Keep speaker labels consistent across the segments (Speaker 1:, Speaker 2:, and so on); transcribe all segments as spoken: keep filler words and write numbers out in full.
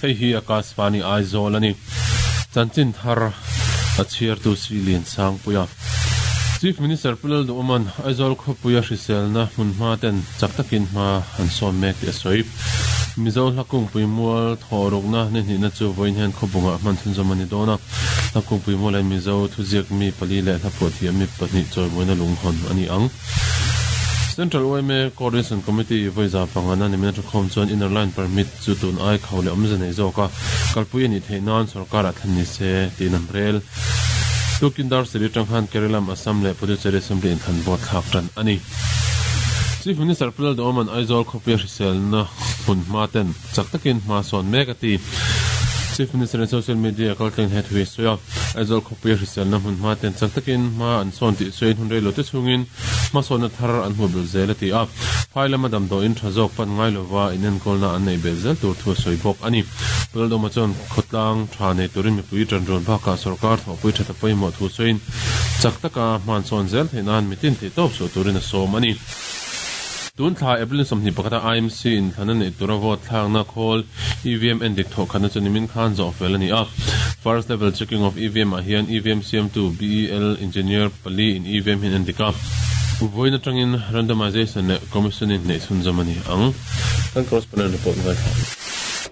Speaker 1: Hei hi Akashvani Aizawl ani. Chanchin thar a chhiar tu si lian sang puia. Chief Minister Pulal Duman Aizawl khawpuia hriselna hmunhma ten chak takin hma an sawn mek tih a sawi. Mizo hlakungpui mual thawhrukna ni hnihna chu vawiin hian khawbungah hman chhunzawm a ni dawn a. Hlakungpui mual hian Mizo thuziak mi pali leh hlaphuah thiam mi pahnih chawimuina lunghawn a ni ang. Central Y M A Coordination Committee vawiza pangana ni mina thukhawm chuan inner line permit chu tun ai kho leh awmze nei zawk a kalpui a nih theih nan sorkar ah thlen ni se tiin an rel. Tukin dar seri tang khan Kerala Assam leh Puducherry Assembly in thlan vote thlak tan a ni. Chief Minister Pulal Duman Aizawl khawpuia hriselna hmunhma ten chak takin hma sawn mek a ti. Chief Minister in social media kaltlang he thui sawi a. Aizawl khawpuia hriselna hmunhma ten chak takin hma an sawn tih sawiin hun reilo te chungin hma sawnna thar an hmu bel zel a ti a. Phai lama damdaw in tha zawk pan ngai lova inenkawlna an nei bel zel tur thu a sawi bawk a ni. Pulal Duma chuan khawtlang tha nei turin mipui tanrawn bakah sarkar thawhpui tha ta pawimawh thu sawiin chak taka hman sawn zel theih nan mitin theih tawp chhuah turin a sawm a ni. Tun thla April sawmhnih pakhata I M C in thlan a neih tura vote thlakna khawl E V M en dik thawh khatna chu nimin khan zawh fel a ni a. First level checking of E V M ah hian E V M siam tu B E L engineer pali in E V M hian en dik a. Vawiin atangin randomization leh commission in hneih chhunzawm a ni ang. Kan correspondent report ngai thla.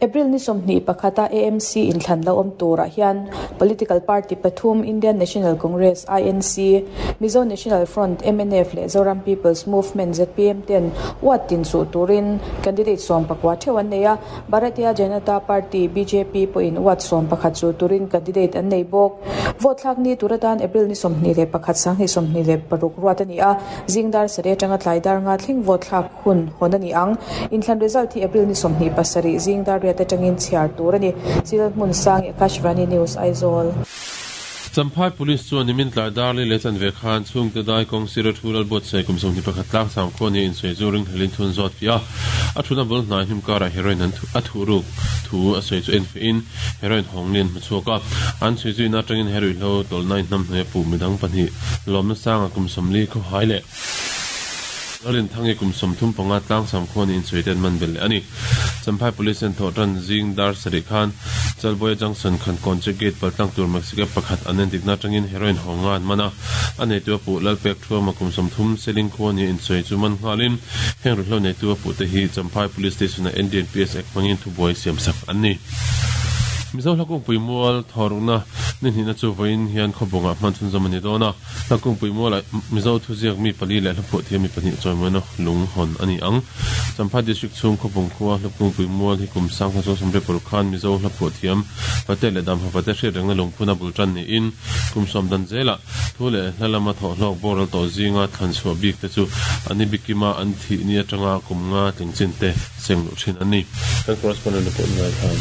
Speaker 2: April ni sawmhnih pakhata A M C in thlan lo awm turah hian political party pathum Indian National Congress I N C, Mizo National Front M N F leh Zoram People's Movement Z P M ten wat tin chu turin candidate sawm pakua theuh an nei a. Bharatiya Janata Party B J P pawhin wat sawm pakhat chu turin candidate an nei bawk. Vote thlak ni turatan April ni sawmhnih leh pakhat sanghnih sawmhnih leh paruk ruat a ni a. Zingdar sare atanga tlai dar nga thleng vote thlak hun hawn a ni ang. Inthlan result hi April ni sawmhnih pasarih zingdar riat atangin chhiar tur a ni. Silal hmun sang Akashvani News Aizawl.
Speaker 1: Champhai Police chuan nimin tlai darli leh chan ve khan chhungte dai kawng sira thu lal buat sei kum sawmhnih pakhat tlang sang khaw ni in sawi chu ring hlelin thun zawt fi a. A thuna bul hnai hnim karah heroin an a thu ruk thu a sawi chu en fe in heroin hawng lian hmu chhuak a. An sawi chu in atangin heroin hlo tawlna in hnam hnuai a pu midang pahnih lawmna sanga kum sawmli khaw hai leh lalin thangi kum sawmthum panga tlang sam khaw ni in sawi te an man bel leh a ni. Champhai Police an thawh tan zing dar sarih khan Chalboya Junction khan kawnche gate paltlang tur Mexico pakhat an en dikna atangin heroin hawnga an man a. A nei tu a puh lalpek thuama kum sawmthum seling khaw ni in sawi chu man nghalin heng ru hlo nei tu a puh te hi Champhai Police Station a N D N P S Act hmangin thubuai siam sak an ni. Mizo hlakungpui mual thawhrukna ni hnihna chu vawiin hian khawbungah hman chhunzawm a ni dawn a. Hlakungpui mual ah Mizo thuziak mi pali leh hlaphuah thiam mi pahnih chawimuina lung hawn a ni ang. Champhai District chhung khawbung khua hlakungpui mual hi kum sang khan chuan sawmriat paruk khan Mizo hlaphuah thiam pate leh damha pate hriat rengna lungphuna bul tan niin kum sawm dan zelah thu leh hla lama thawh hlawk boral tawh zinga thlan chhuah bik te chu ani bikima an thih ni atanga kum nga tling chin te seng luh thin an ni. Kan correspondent report ngai khan.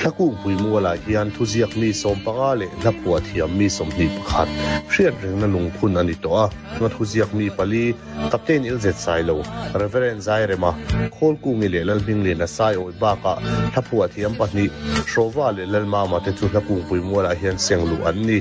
Speaker 3: Hlakungpui mualah hian thuziak mi sawm panga leh hlaphuah thiam mi sawmhnih pakhat hriat rengna lungphun a ni tawh a. Nga thuziak mi pali Captain Ilzet Sailo, Reverend Zairema, Khawlkungi leh Lalhminglian a sai awi bakah hlaphuah thiam pahnih Hrawva leh Lalmama te chu hlakungpui mualah hian seng luh an ni.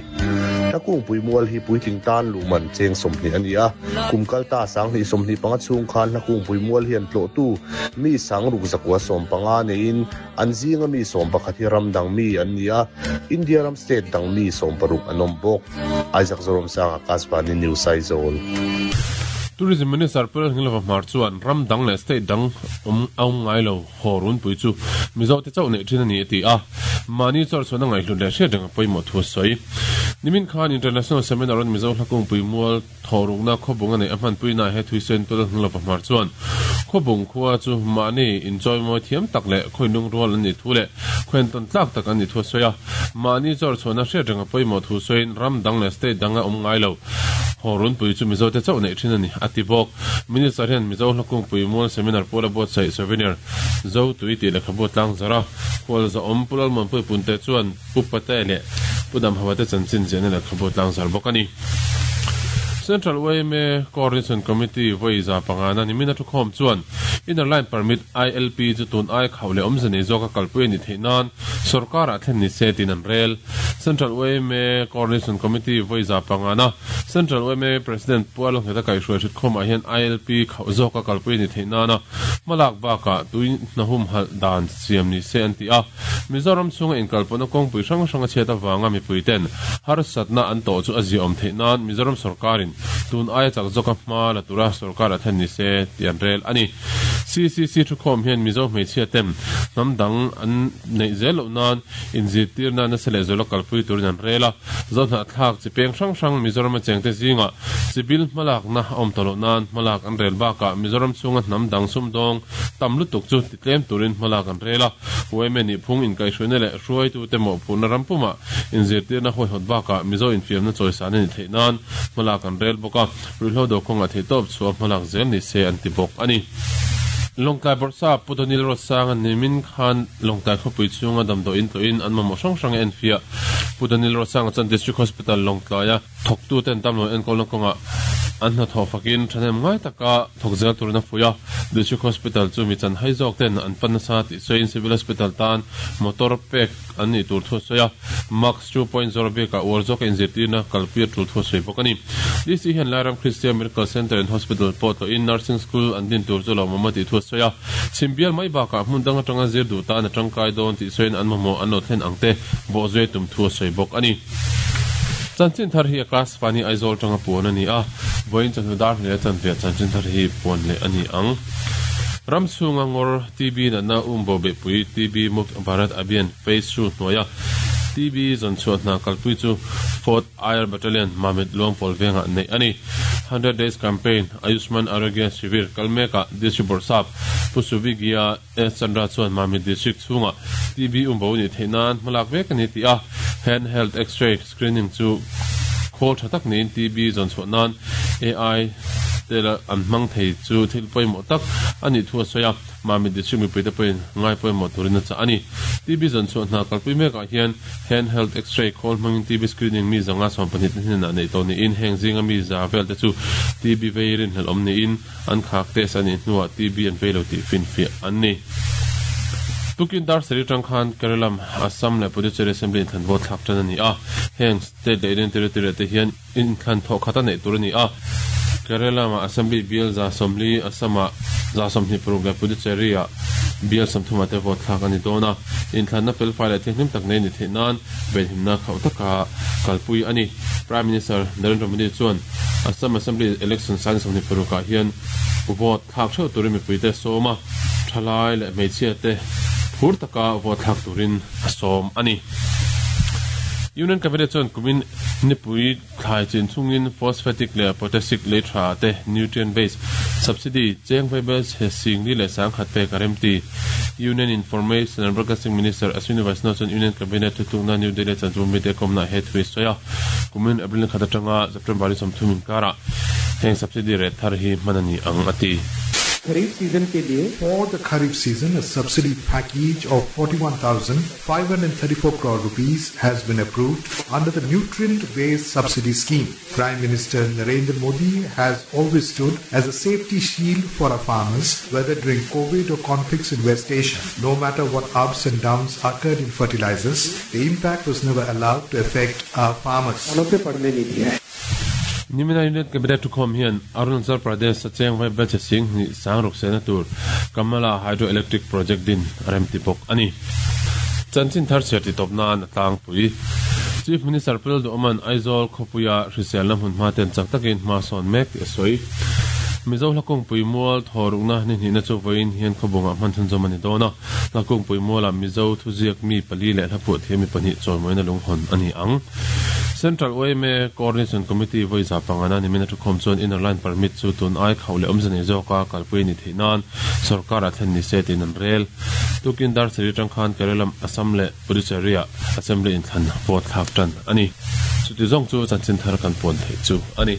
Speaker 3: Hlakungpui mual hi puitling tan luhman cheng sawmhnih a ni a. Kum kalta sanghnih sawmhnih panga chhung khan hlakungpui mual hian tlawh tu mi sangruk zakua sawm panga neiin an zinga mi sawm pakhat hi ram dang mi an ni a. India ram state dang mi sawm paruk an awm bawk. Isaac Zoram Sang Akashvani News Aizawl.
Speaker 1: Tourism Minister Pulal Hinglova Hmar chuan ram dang leh state dang awm awm ngai lo haw pui chu Mizo te chauh nei thin a ni a ti a. Mani chawr chuan a ngaih hlut leh hriat reng a pawimawh thu a sawi. Nimin khan International Seminar on Mizo hlakungpui mual thawhrukna khawbung a nei a hmanpui na he thui sawiin Pulal Hinglova Hmar chuan khawbung khua chu mani inchawimawi thiam tak leh khawinung rual an ni thu leh khawin tawn tlak tak an ni thu a sawi a. Mani chawr chuan a hriat reng a pawimawh thu sawiin ram dang leh state dang a awm ngai lo haw pui chu Mizo te chauh nei thin a ni a ti bawk. Minister hian Mizo hlakungpui mual seminar pawla buatsaih souvenir zo tui tih lehkhabu tlang zara khual za awm Pulal Muanpui punte chuan pu pate leh pu dam hawa te chanchin ziahna lehkhabu tlang zar bawk a ni. Central Y M A Coordination Committee vawiza pangana nimina thukhawm chuan Inner Line Permit I L P chu tun ai khau le awmze nei zawka kalpui ani theih nan sarkar ah thlen ni se tin an rel. Central U M A Coordination Committee voiza pangana Central U M A President Pualong heta kai hruai thut khawmah hian I L P khau zawka kalpui ani theih nana malak baka tui nahum hal dan siam ni se an ti a. Mizoram chunga inkalpawhna kawngpui hrang hrang a chhiat avanga mipui ten harsatna an tawh chu a zia awm theih nan Mizoram sarkarin tun aia chak zawka hma la tura sarkar a thlen ni se ti an rel ani. C C C thu khawm hian Mizo hmeichhia ten hnam dang an neih zel loh nan inzirtir na nasa leh zawla kalpui turin an rel a. Zohnah thlak chi peng hrang hrang Mizoram a chengte zinga chibil hmalakna a awm tawh loh nan hmalak an rel bakah Mizoram chhunga hnam dang sumdawng tam lutuk chu titlem turin hmalak an rel a. U M A nih phung inkaihhruaina leh hruaitute mawhphurhna rampumah inzirtirna hawihhawt bakah Mizo infiamna chawisan ani theih nan hmalak an rel bawk a. Ruihhlo do kawngah theihtawp chhuah hmalak zel ni se an ti bawk ani. Lawngtlai Bawrhsa Pu Daniel Rosanga nimin khan Lawngtlai khawpui chhunga damdaw in tlawhin an mamawh hrang hrang a enfiah. Pu Daniel Rosanga chuan District Hospital Lawngtlaia thawktuten damlo enkawlna kawngah an hnathawh fakin thahnem ngai taka thawk zel turin a fuih a. District Hospital chu mi chan hai zawk ten an pan nasa tih sawiin Civil Hospital tan motor pek an nih tur thu a sawi a. Max two point zero bikah uar zawka inzirtirna kalpui a tul thu a sawi bawk a ni. D C hian Lairam Christian Miracle Centre and Hospital pawh tlawhin Nursing School an din tur chu lo mawmawh tih thu a sawi a. Chhimbial mai bakah hmun dang atanga zir duh tan a tangkai dawn tih sawiin an mamawh an lo thlen ang te bawhzui tum thu a sawi bawk a ni. Chanchin thar hi a class fani Aizawl tanga puan ani a. Vawiin chawhnu dar hle chanve chanchin thar hi puan leh ani ang. Ram chhunga ngawr T B natna umbo behpui T B Mukt Bharat Abhiyan Phase two hnuaia T B zawnchhuah hna kalpui chu fourth I R Battalion Mamit Luangpawl vengah neih ani. hundred Days Campaign Ayushman Arogya Shivir kalmekah District Bawrhsap Pu Suvigia S Chandra chuan Mamit District chhunga T B umbo ni theih nan hmalak vek ani ti a. Handheld X-ray screening chu khawl tha tak niin T B zawnchhuah nan A I tela an hmang thei chu thil pawimawh tak ani thu a sawi a. Mamit District mipuite pawhin ngai pawimawh turin a chah ani. T B zawnchhuah hna kalpui mekah hian handheld X-ray khawl hmangin T B screening mi zanga sawm pahnih te hnenah neih tawh niin heng zinga mi za vel te chu T B veirin hlel awm niin an khak test anih hnuah T B an vei lo tih finfiah an ni. Tukin dar sari tang khan Kerala, Assam leh Puducherry Assembly inthlan vote thlak tan ani a. Heng state leh Union Territory te hian inthlan thawh khat a neih tur ani a. Kerala ma Assembly bial za sawmli, Assam ah za sawmhnih paruk leh Puducherry ah bial sawmthum ah te vote thlak ani dawn a. Inthlanna felfai leh thianghlim tak nei ni theih nan venhimna khauh taka kalpui ani. Prime Minister Narendra Modi chuan Assam Assembly election san sawmhnih paruk ah hian vote thlak theuh turin mipuite sawm a, thalai leh hmeichhia te phur taka vote thlak turin a sawm ani. Union Cabinet chuan kumin nipui thlai chin chungin phosphatic leh potassic lei tha te nutrient base subsidy cheng vaibel chhe singli leh sangkhat pek a remti. Union Information and Broadcasting Minister Ashwini Vaishnaw chuan Union Cabinet thutlukna New Delhi chanchu mite kawmna he thui sawi a. Kumin April ni khat atanga September ni sawmthum inkara heng subsidy rate thar hi hman ani ang ati.
Speaker 4: Kharif season ke liye
Speaker 5: For the Kharif season, a subsidy package of forty-one thousand five hundred thirty-four crore rupees has been approved under the nutrient-based subsidy scheme. Prime Minister Narendra Modi has always stood as a safety shield for our farmers, whether during COVID or conflicts in West Asia. No matter what ups and downs occurred in fertilizers, the impact was never allowed to affect our farmers.
Speaker 4: किसानों पे पड़ने नहीं दिया है.
Speaker 1: Nimina Union Cabinet thukhawm hian Arunachal Pradesh a cheng vaibel che sing hnih sang ruk sena tur Kamala Hydroelectric Project din a remti bawk ani. Chanchin thar chhiar ti tawp nan a tlangpui. Chief Minister Pu Duhawman Aizawl khawpuia hriselna hmun hma ten chak takin hma sawn mek tih a sawi. Mizo hlakawngpui mual thawrukna ni hnihna chu vawiin hian khawbungah hman chhunzawm ani dawn a. Hlakawngpui mualah Mizo thuziak mi pali leh hlaphuah thiam mi pahnih chawimawina lunghawn ani ang. Central U M A Coordination Committee voiza pangana nimina thukhawm chuan Inner Line Permit chu tun ai khau leh awmze nei zawka kalpui ni theih nan sarkar a thlen ni se tin an rel. Tukin dar sari tang khan Kerala, Assam leh Puducherry ah Assembly inthlan vote thlak tan ani. Chuti zawng chu chanchin thar kan puan theih chu ani.